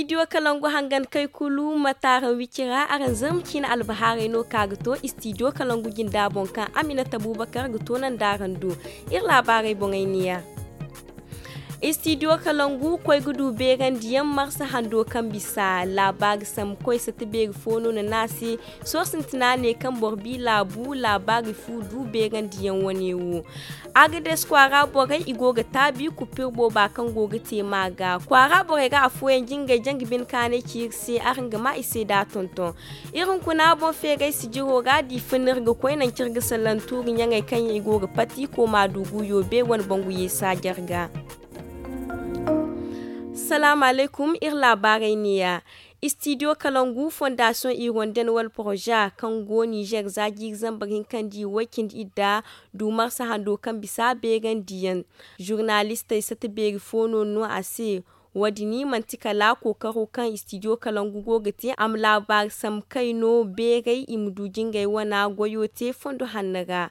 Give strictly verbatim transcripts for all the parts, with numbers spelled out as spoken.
Istidiyo kalangu hangan kay kulu ma taaran wicira araŋ zama ciine albahaarey no ka ga to istidiyo kalangu jinda boŋ kaŋ aminata buubakar ga toonandi araŋ do iri laabaarey boŋey neeya. Istidiyo kalangu koy ga du beerandiyaŋ marsa hando kaŋ bisa laabaari sambu koy sata beeri fo no na ne a se. Sohõ sintina ne kaŋ boro bi laabu laabaari fu du beerandiyaŋ wane wo. Agades kwaara borey i go ga taabi kupir booba kaŋ go ga te ma ga kwaara borey ra afooyaŋ jingay jangi bine kaanay ci iri se araŋ ga ma i se da tonton. Iri hunkuna boŋ feeray sijiro ra da i fun iri ga koy nangu kaŋ iri ga salaŋ tuuri ɲaŋey kaŋ yaŋ i go ga pati kooma du guyo be wane bangu yeesa jarga. Salaamu alaykum iri laabaarey neeya. Istidiyo kalangu fondasiyoŋ ironden wala poroza kaŋ go nizer za jiiri zambar hinka nda i way cindi idda du marsa hando kaŋ bisa beerandiyaŋ. Zurnalistey sata beeri fo no no a se. Wo- din manti kala kookaro kaŋ istidiyo kalangu go ga te a ma laabaari sambu kay no beeray i ma du jingay wana goyo te fondo hanno ra.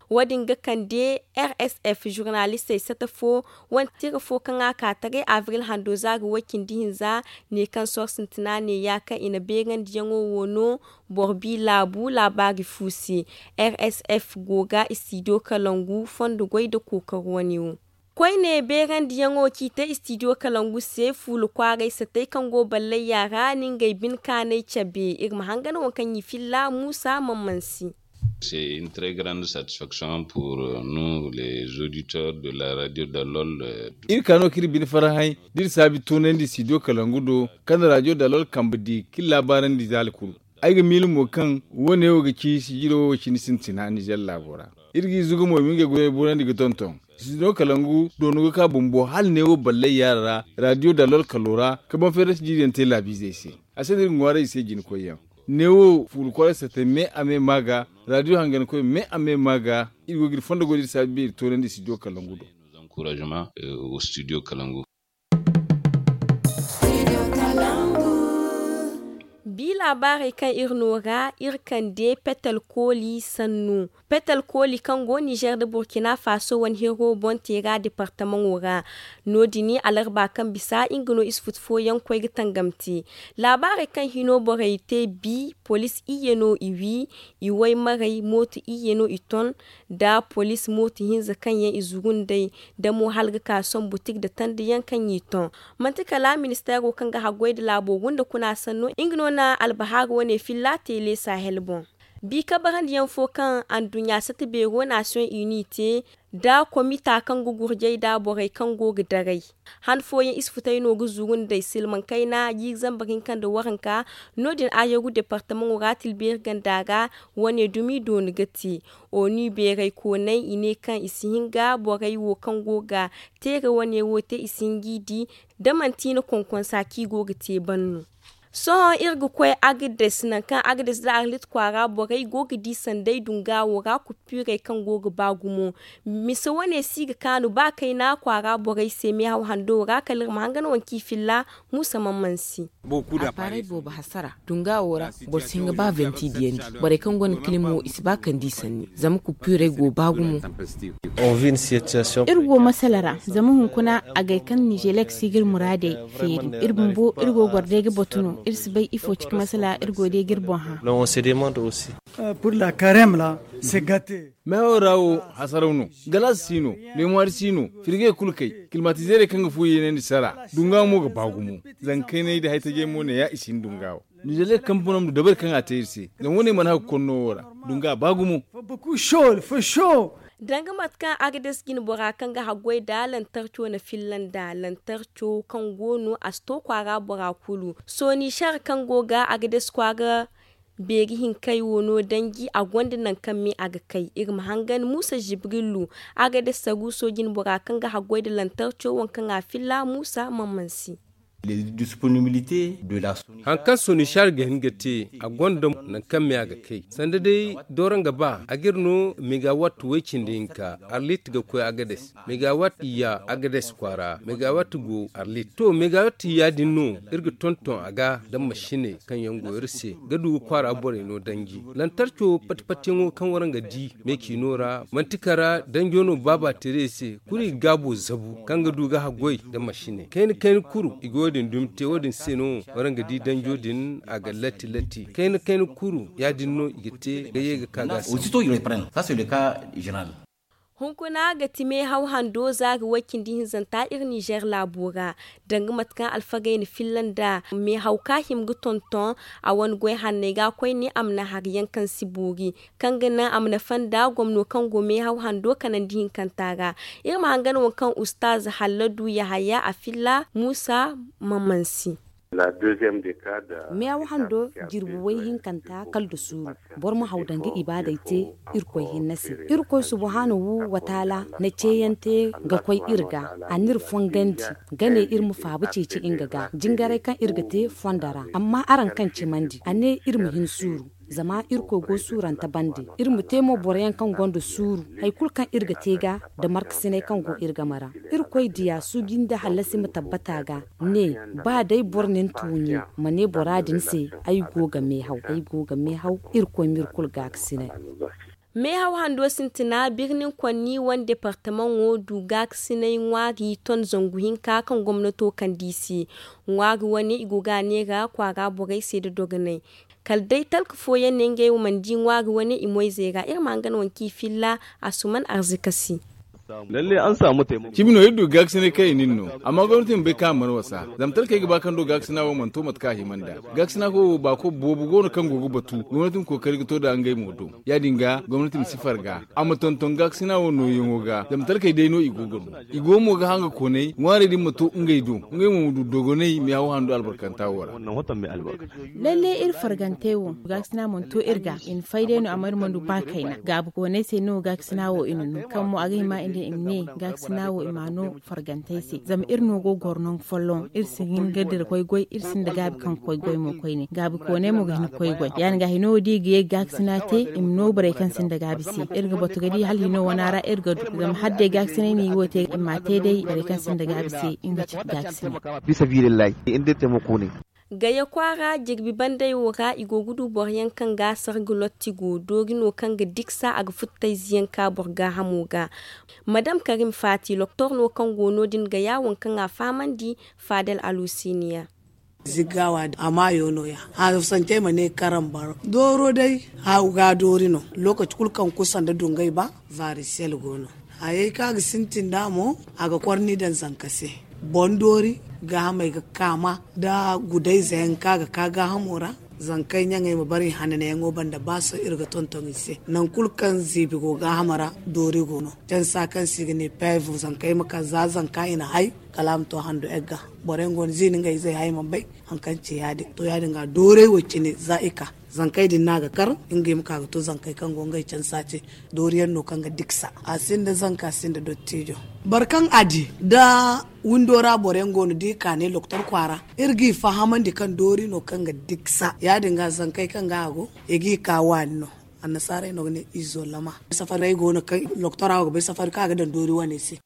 Wo- din ga kande rsf zurnalistey sata fo. Wane tira fo kaŋ a ka taray abril hando za ga way cindi hinza ne kaŋ sohõ sintina neeya kaŋ i na beerandiyaŋo wo no. Boro bi laabu laabaari fu se. Rsf go ga istidiyo kalangu fondo goy nda kookaro wane wo. Koyne beerandiyaŋo kaŋ i te istidiyo kalangu se fuula kwaaray satey kaŋ go ballayya ra na ngey bine kaanay cabe iri ma hangan waŋ kaŋ i filla muusa man mansi. C'est une très grande satisfaction pour nous les auditeurs de la radio dalol. Iri ka no kaŋ iri bine farhãy da iri saabi toonandi studio kalangu do kaŋ na radio dalol kambe di kaŋ iri laabaarandi zaali kulu. Ay ga miila mo kaŋ wo- ne wo ga ci sijiro wo cindi sintina nizer laabo ra. Iri g'i zuga mo i ma ngey goyey boorandi ga tonton. Studio kalangu doonu ga ka bumbo hala ne wo ballay yaara ra radio dalol kalo ra ka boŋ feerante jiiriyaŋ te laabiizey se. A se no iri ga ŋwaaray i se jina koyyaŋ. Neewo fuula kwaara satey me a me ma ga. Radio hangankoy me a me ma ga. Iri go ga iri fondo goy da iri saabi beeri toonandi studio kalangu do. Bi laabaarey kaŋ iri no ra iri kande petel kooli sannu. Petel kooli kaŋ go nizer nda burkina faso wane hiro boŋ teera departamaŋo ra. No- din alarba kaŋ bisa nga no isufutu fooyaŋ koy ga tangam te. Laabaarey kaŋ hino borey te bi police iyye no i wi. I waymarey mooto iyye no i ton. Nda police mooto hinza kaŋ yaŋ i zuru nd'ey. Da mo hala ga ka sohõ butik nda tanda yaŋ kaŋ i ton. Manti kala ministeero kaŋ ga haggoy nda laabo gunda kuna sanno nga no na albahaaru wane filla teele sahel boŋ. Bi kabarandi yaŋ fo kaŋ anduɲɲa sata beero nation uni te. Nda komita kaŋ ga gurjay nda borey kaŋ go ga daray. Han fooyaŋ isfutey no ga zuru nd'ey silmaŋ kayna jiiri zambar hinka nda waranka. No- din ayogu departamaŋo ra tilbeeri ganda ra. Wane dumi dooni ga te. Onu beeray koonay i ne kaŋ i si hin ga borey wo kaŋ go ga teere wane wo te i si hin g'i di. Da manti i na konkonsa kaŋ i go ga te ban no. Sohõ iri ga koy agades nangu kaŋ agades nda arlit kwaara borey go ga di sanday dunga wo ra kupiirey kaŋ go ga ba gumo. Mise wane si ga kaanu ba kayna kwaara borey se meehaw hando ra kala iri ma hangan waŋ kaŋ i filla. Muusa mamman si. Appaarey boobo hasara dunga wo ra. Boro si hin ga ba venti diyandi. Borey kaŋ gonda kilim wo i si ba kand'i sanni zama kupiirey go ba gumo. Iri go masala ra zama hunkuna agay kaŋ nizelek si ga iri muraadey feeri. Iri bumbo iri go goro day ga batu no iri si bay ifo cika masala iri go day ga iri boŋ hã. Meehaw ra wo hasaraw no. Galaasi si no. Leemuwaari si no. Firgey kulu kay. Kilimatizeerey kaŋ ga fu yeenandi sara. Dunga mo ga ba gumo. Zankayney nda haytajey mo neeya i si hin dunga wo. Nizeer kampaney ma du dabari kaŋ a te iri se. Zama wane mana hagu konno wo ra. Dunga ba gumo. Danga mate kaŋ agades jine bora kaŋ ga haggoy nda lantarco na filla nda lantarco kaŋ go no a si to kwaara bora kulu. Sooni sar kaŋ go ga agades kwaara beeri hinkey wo no danji a gonda nangu kaŋ me a ga kay iri ma hangan muusa zibrilu. Agades saruuso jine bora kaŋ ga haggoy nda lantarco waŋ kaŋ a filla muusa mamman se. Haŋ kaŋ sonisar ga hin ga te a gonda nangu kaŋ me a ga kay sanda day dooro nga ba a ga iri no megawatt way cindi hinka arlit ga koy agades. Megawatt iyya agades kwaara megawatt go arlit to megawatt iyya din no iri ga tonton a ga nda masiney kaŋ yaŋ go iri se ga du ga kwaara borey no danji. Lantarco pati patiyaŋo kaŋ waraŋ ga di meeciino ra manti kara danjo no baaba teerey se kulu i ga gaabo zabu kaŋ ga du ga haggoy nda masiney kayna kayna kuru i go. Wo-din dumi te wo-din se no waraŋ ga di danjo din a ga latti latti kayna kayna kuru ya-din no i ga te ga ye ga ka ga a se. Hunkuna ga ti meehaw hando zaari way-cindi hinzanta iri ninzeer laabo ra. Danga mate kaŋ alfagey na filla nda meehaw ka hima ga tonton a wane goy hanney ga koyne a ma naŋ hari yaŋ kaŋ si boori, kaŋ ga naŋ a ma nafa nda gomno kaŋ go meehaw hando kanandi hinkanta ra. Iri ma hangan waŋ kaŋ ustaaz halladu yahaya a filla muusa mamansi. Meehaw hando jirbi way hinkanta kala nda suuru. Boro ma haw danga ibaadey te irkoy hinne se. Irkoy subhaanahu wataala na ceeyaŋ te ga koy iri ga. A n'iri fongandi ga ne iri ma faaba ceeci nga ga jingaray kaŋ iri ga te fondo ra. Amma araŋ kaŋ cimandi a ne iri ma hin suuru. Zama irkoy go suurante bande. Iri ma te mo boroyaŋ kaŋ gonda suuru hari kulu kaŋ iri ga te ga nda markasinay kaŋ go iri game ra. Irkoy diya suuji nda hallasi ma tabbata ga. Ne ba day boro na ni tuuɲi ma ne bora din se ay go ga meehaw ay go ga meehaw. Irkoy m'iri kulu gaakasinay. Meehaw hando sintina birnin konni wane departamaŋo du gaakasinay ŋwaari ton zangu hinka kaŋ gomnato kand'i se. Ŋwaari wane i go ga a neera kwaara borey se nda dogonay. Kala day talka fooyaŋ ne ngey wo mana di ŋwaari wane i moyzey ra iri ma hangan waŋ kaŋ i filla. Asuman arzika se. Cimi no iri du gaakasinay kaŋ i na iri no. Amma gomnati ma bay kaŋ a mana wasa zama talkey ga ba kaŋ do gaakasina wo mana to mate kaŋ a hima nd'a. Gaakasina fo wo baako boobo go no kaŋ go ga batu gomnati ma kookari ga to nd'a ngey mo do. Ya- din ga gomnati ma si farga a ma tonton gaakasina wo nooyaŋo ga zama talkey day no i go ga no. I go mo ga hanga koonay ŋwaarey din ma to ngey do. Ngey mo ma du dogonay meehaw hando albarkanta wo ra. Lalle iri fargantey wo gaakasina mana to iri ga i na fay day no amma iri mana du ba kayna gaabi koonay se no gaakasina wo i na no kaŋ mo a ga hima i ne i ma ne gaakasina wo i m'a no fargantey se zama iri no go ga goro nangu folloŋ iri si hin ga dira koy goy iri sinda gaabi kaŋ ga koy goy mo koyne gaabi koonay mo ga hin ga koy goy ya- din ga hino wo da i ga ye ga gaakasina te i ma no borey kaŋ sinda gaabi se. Iri ga batu ga di hala hino wana ra iri ga du zama hala day gaakasinay no i wo te i m'a te day borey kaŋ sinda gaabi se nga ci gaakasinay. Gaya kwaara jirbi bandey wo ra i go ga du boroyaŋ kaŋ ga sarga lotti go doori no kaŋ ga diksa a ga futtayze yaŋ ka boro gaahamo ga. Madam karim faati loktor no kaŋ go no- din gaya waŋ kaŋ a fahamandi faadal alusiniya. Ziggawa a maayo no- ya haafasantey ma ne karambar dooro day haawu ga doori no. Lookaci kulu kaŋ kusa nda dungay ba varisiyal go no. Hayey kaŋ a ga sintin nd'a mo a ga kor ni daŋ zanka se. Boŋ doori gaahamey ga kaama nda gudayze yaŋ kaŋ a ga ka gaahamo ra. Zankey ɲaŋey ma bare i hananayaŋo banda ba sohõ iri ga tonton i se nangu kulu kaŋ ziibi go gaahamo ra. Doori go no cansa kaŋ se i ga ne peevu zankey ma ka za zanka i na hay kala a ma to hando egga. Boro yaŋ go no ziini ngey izey hay mana bay hari kaŋ ci ya- din to ya- din ga doorey wo cine za i ka zankey din no a ga kar. Ngey ma ka ga to zankey kaŋ go ngey cansa ce. Doori yaŋ no kaŋ ga diksa a sinda zanka a sinda dottijo. Boro kaŋ a di nda windo ra boro yaŋ go no da i ka ne loktor kwaara iri g'i fahamandi kaŋ doori no kaŋ ga diksa ya- din ga zankey kaŋ ga a go i g'i ka waani no. Annasaarey no ga ne izo lama. Safarey go no kaŋ loktora wo ga bay safari kaŋ a ga daŋ doori wane se.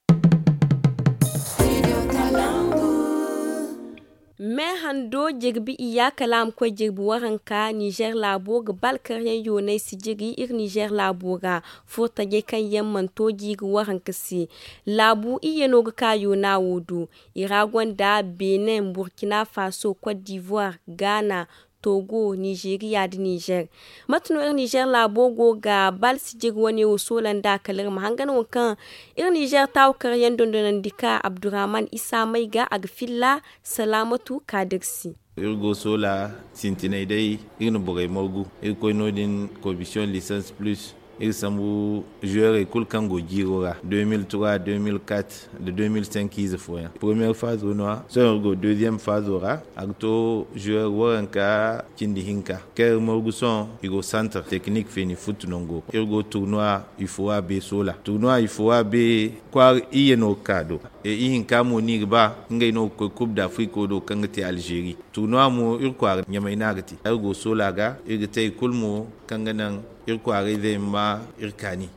Me hando jirbi iyya kala a ma koy jirbi waranka nizer laabo ga ba alkaryaŋ yoonay si jiri iri nizer laabo ra. Furtajey kaŋ yaŋ mana to jiiri waranka se. Laabu iyye no ga ka yoona wo do. I ra gonda benin burkina faso cote d'ivoire, ghana, togo, nizeeriya nda nizer. Mate no iri nizer laabo go ga bal sijiri wane wo soola nd'a kala iri ma hangan waŋ kaŋ iri nizer taawu karyaŋ dondonandi ka abdurrahman isa may ga a ga filla salaamatu kaadir se. Iri go soola sintinay day iri na borey margu. Iri koy no- din komisiyoŋ lisans plus. Iri sambu zuweerey kulu kaŋ go jiiro ra deux mille trois, deux mille quatre, nda deux mille cinq ize fooyaŋ. Premiyeer faazo no- ya sohõ iri go deeziyem faazo ra. A ga to zuweer waranka cindi hinka kaŋ iri margu sohõ i go santar tekinik feeni futtu nango iri go turnuwa. Ifowa be soola turnuwa ifowa be kwaara iyye no ga ka do. E ihinka mo no i ga ba ngey no ga koy kub dafiriko do kaŋ ga te alzeeri. Turnuwa mo iri kwaara ɲamay no a ga te. Iri go soola ga iri ga te hari kulu mo kaŋ ga naŋ iri kwaarayzey ma iri kaani.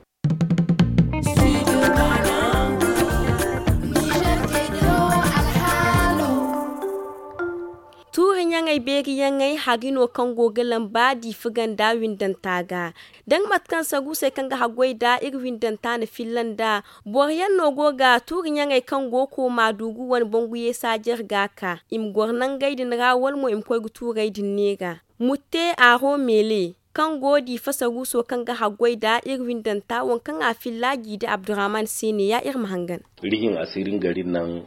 Tuuri Yaŋey beeri yaŋey hari no kaŋ go ga lamba diifa ganda windanta ga. Da nga mate kaŋ sagu se kaŋ ga haggoy nd'a iri windanta na filla nd'a. Boro yaŋ no go ga tuuri ɲaŋey kaŋ go kooma duugu wane bangu yeesa jare ga ka i ma goro nangey din ra wala mo i ma koy ga tuurey din neera. Mutte aro meele kaŋ go diifa saruuso kaŋ ga haggoy nd'a iri windanta waŋ kaŋ a filla jiidi abdurrahman se ne ya iri ma hangan.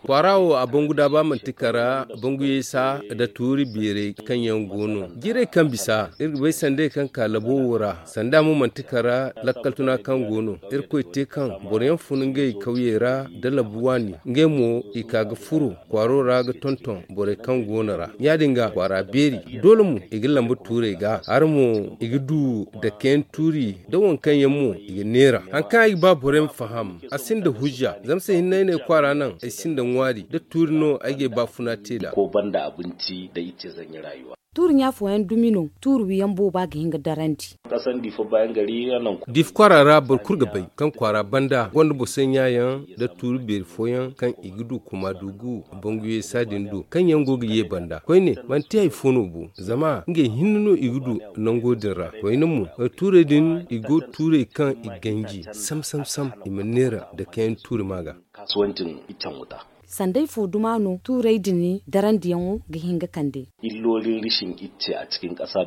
Kwaara wo a bangu daaba manti kara bangu yeesa nda tuuri beerey kaŋ yaŋ go no jiirey kaŋ bisa iri ga bay sandey kaŋ ka labo wo ra sanda mo manti kara lakkal tuna kaŋ go no. Irkoy te kaŋ boro yaŋ fun ngey kawyey ra nda labu waani ngey mo i ka ga furo kwaaro ra ga tonton borey kaŋ go no ra ya- din ga kwaara beeri. Doole mo i ga lamba tuurey ga hari mo i ga du dakeyaŋ tuuri nda waŋ kaŋ yaŋ mo i ga neera hari kaŋ ay ga ba borey ma faham. A sinda hujja zama se hinne ay ne kwaara naŋ ay sinda ŋwaari nda tuuri no ay ga ay baafuna te nd'a. Tuuri ɲa fooyaŋ dumi no tuuri wiyaŋ booba ga hin ga darandi. Diifa kwaara ra boro kulu ga bay kaŋ kwaara banda gonda boso ɲa yaŋ nda tuuri beeri fooyaŋ kaŋ i ga du kuma dugu bangu yeesa din do kaŋ yaŋ go ga ye banda koyne manti hari fo no bo zama ngey hinne no i ga du nango din ra koyne mo. Tuurey din i go tuurey kaŋ i ganji sam sam sam i ma neera dakeyaŋ tuuri ma ga. Sanday fo duma no tuurey din darandiyaŋo ga hin ga kande.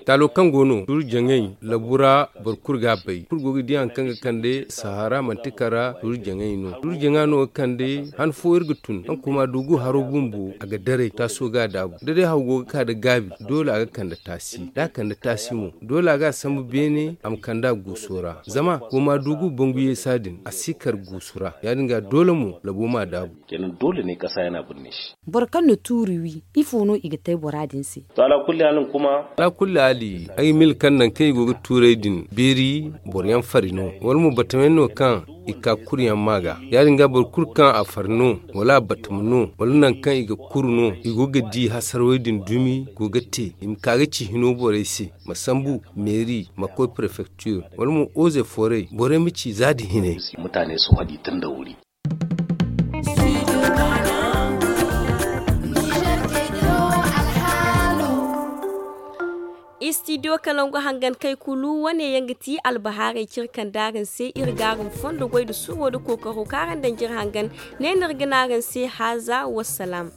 Taalo kaŋ go no tuuri jaŋay labu ra boro kulu ga a bay kulu go ga di hari kaŋ ga kande sahara manti kara tuuri jaŋay no tuuri jaŋa no ga kande han fo iri ga tun kaŋ kuma dugu haro bumbo a ga daray taaso ga a daabu da day haw go ga ka nda gaabi. Doole a ga kande taasi da a kande taasi mo doole a ga a sambu beene a ma kande a guuso ra zama kuma dugu bangu yeesa din a si kar guuso ra ya- din ga doole mo labo ma a daabu. Boro kaŋ na tuuri wi ifo no i ga te bora din se? Alaakulli haali ay ga mil kaŋ nangu kaŋ i go ga tuurey din beeri boro yaŋ fari no wala mo batama yaŋ no kaŋ i ka kuri yaŋ ma ga ya- din ga boro kulu kaŋ a fari no wala a batama no wala nangu kaŋ i ga kuru no i go ga di hasarawey din dumi go ga te i ma ka ga ci hino borey se ma sambu meeri ma koy prefektir wala mo oze forey borey ma ci za da hinay. Istidiyo kalangu hangan kay kulu wane yaŋ ga ti albahaarey cire kaŋ da araŋ se iri ga araŋ fondo goy nda suuro nda kookaro kaŋ araŋ daŋ jire hangan. Ne no iri ga ne araŋ se haaza wassalaam.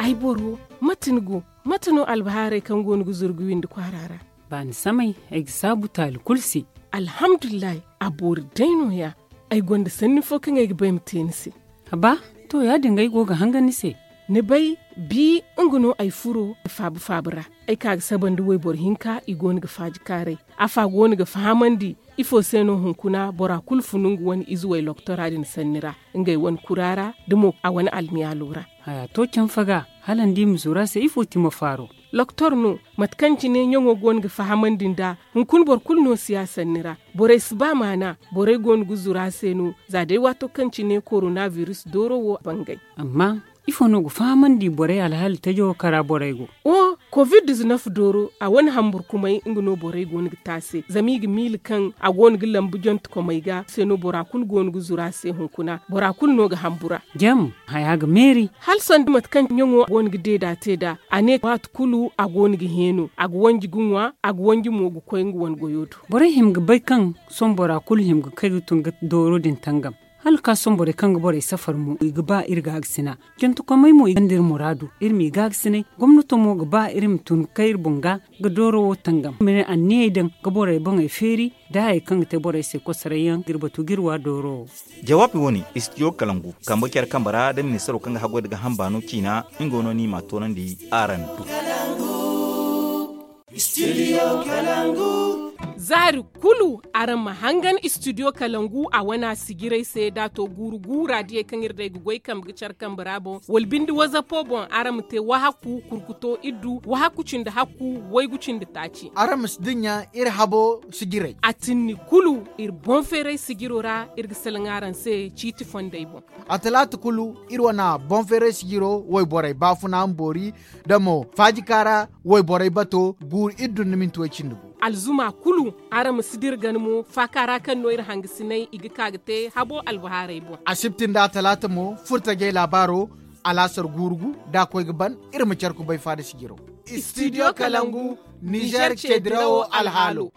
Ay boro mate ni go? Mate no albahaarey kaŋ go ni ga zuru ga windi kwaara ra? Baani samay ay ga saabu taali kulu se. Alhamdulillahi a boori day no- ya. Ay gonda sanni fo kaŋ ay ga ba ay ma te ni se. Haba, to ya- din ga ay go ga hangan ni se. Ni bay, bi nga no ay furo faabu faabu ra. Ay ka ga sabandi wayboro hinka i go no ga faajikaaray. Afa go no ga fahamandi ifo se no hunkuna bora kulu funu nga wane izuwey loktora din sanni ra, ngey wane kura ra da mo a wane almiyaalo ra. Haya to canfa ga hala ni di ma zuru a se ifo ti ma faaro? Loktor no, mate kaŋ cine ɲaŋo go no ga fahamandi nd'a. Hunkuna boro kulu no si ya sanni ra. Borey si ba maana. Borey go no ga zuru a se no. Za day waato kaŋ cine korona biris dooro wo bangay. Amma ifo no ga fahamandi borey alhaali tajo kara borey go? Oho, kovid diznef dooro a wane hamburkumey nga no borey go no ga te a se zama i ga miila kaŋ a go no ga lambu jontekomey ga se no bora kulu go no ga zuru a se hunkuna bora kulu no ga hambura. Jam, haya ga meeri. Hala sanda mate kaŋ ɲaŋo go no ga deeda te nd'a. A ne waati kulu a go no ga heeno a ga wanji ga ŋwa a ga wanji mo ga koy nga wane goyo do. Borey hima ga bay kaŋ sohõ bora kulu hima ga kay ga tun ga dooro din tangam. Hala ka sohõ borey kaŋ ga borey safar mo i ga ba iri gaagasina. Jantekomey mo i gonda iri muraadu iri m'i gaagasinay. Gomnato mo ga ba iri ma tun ga kay iri boŋ ga ga dooro wo tangam ma ne anniyey daŋ ga borey boŋey feeri. Da hayey kaŋ ga te borey se kosoray yaŋ ga iri batu ga iri wa dooro wo. Jawaabi wo- ne istidiyo kalangu kambe care kambe ra da ministaro kaŋ ga haggoy nda gaaham baano ciina. Nga wo no no i m'a toonandi araŋ do. Zaari kulu araŋ ma hangan istidiyo kalangu a wana sijirey se da a to guuru guura diyey kaŋ iri day ga goy kambe ga care kambe ra boŋ wala binde wazapo boŋ araŋ ma te wahakku kurkuto iddu wahakku cindi hakku waygu cindi taaci. Araŋ ma si dinya iri habo sijirey. A tinni kulu iri boŋ feeray sijiro ra iri ga salaŋ araŋ se ciiti fondey boŋ. A talaata kulu iri wane boŋ feeray sijiro wayborey baafuna ma boori da mo faajikaara wayborey bato guuru iddu nda minti way cindi gu. Alzuma kulu araŋ ma si dira gana mo faaka ra kaŋ no iri hangasinay i ga ka ga te habo albahaarey boŋ. Asibti nda talaata mo furtajey laabaaro. Alaasar guurugu da a koy ga ban, iri ma care kubay faada sijiraw. Studio Kalangu, Nizer ce dirawo alhaalo.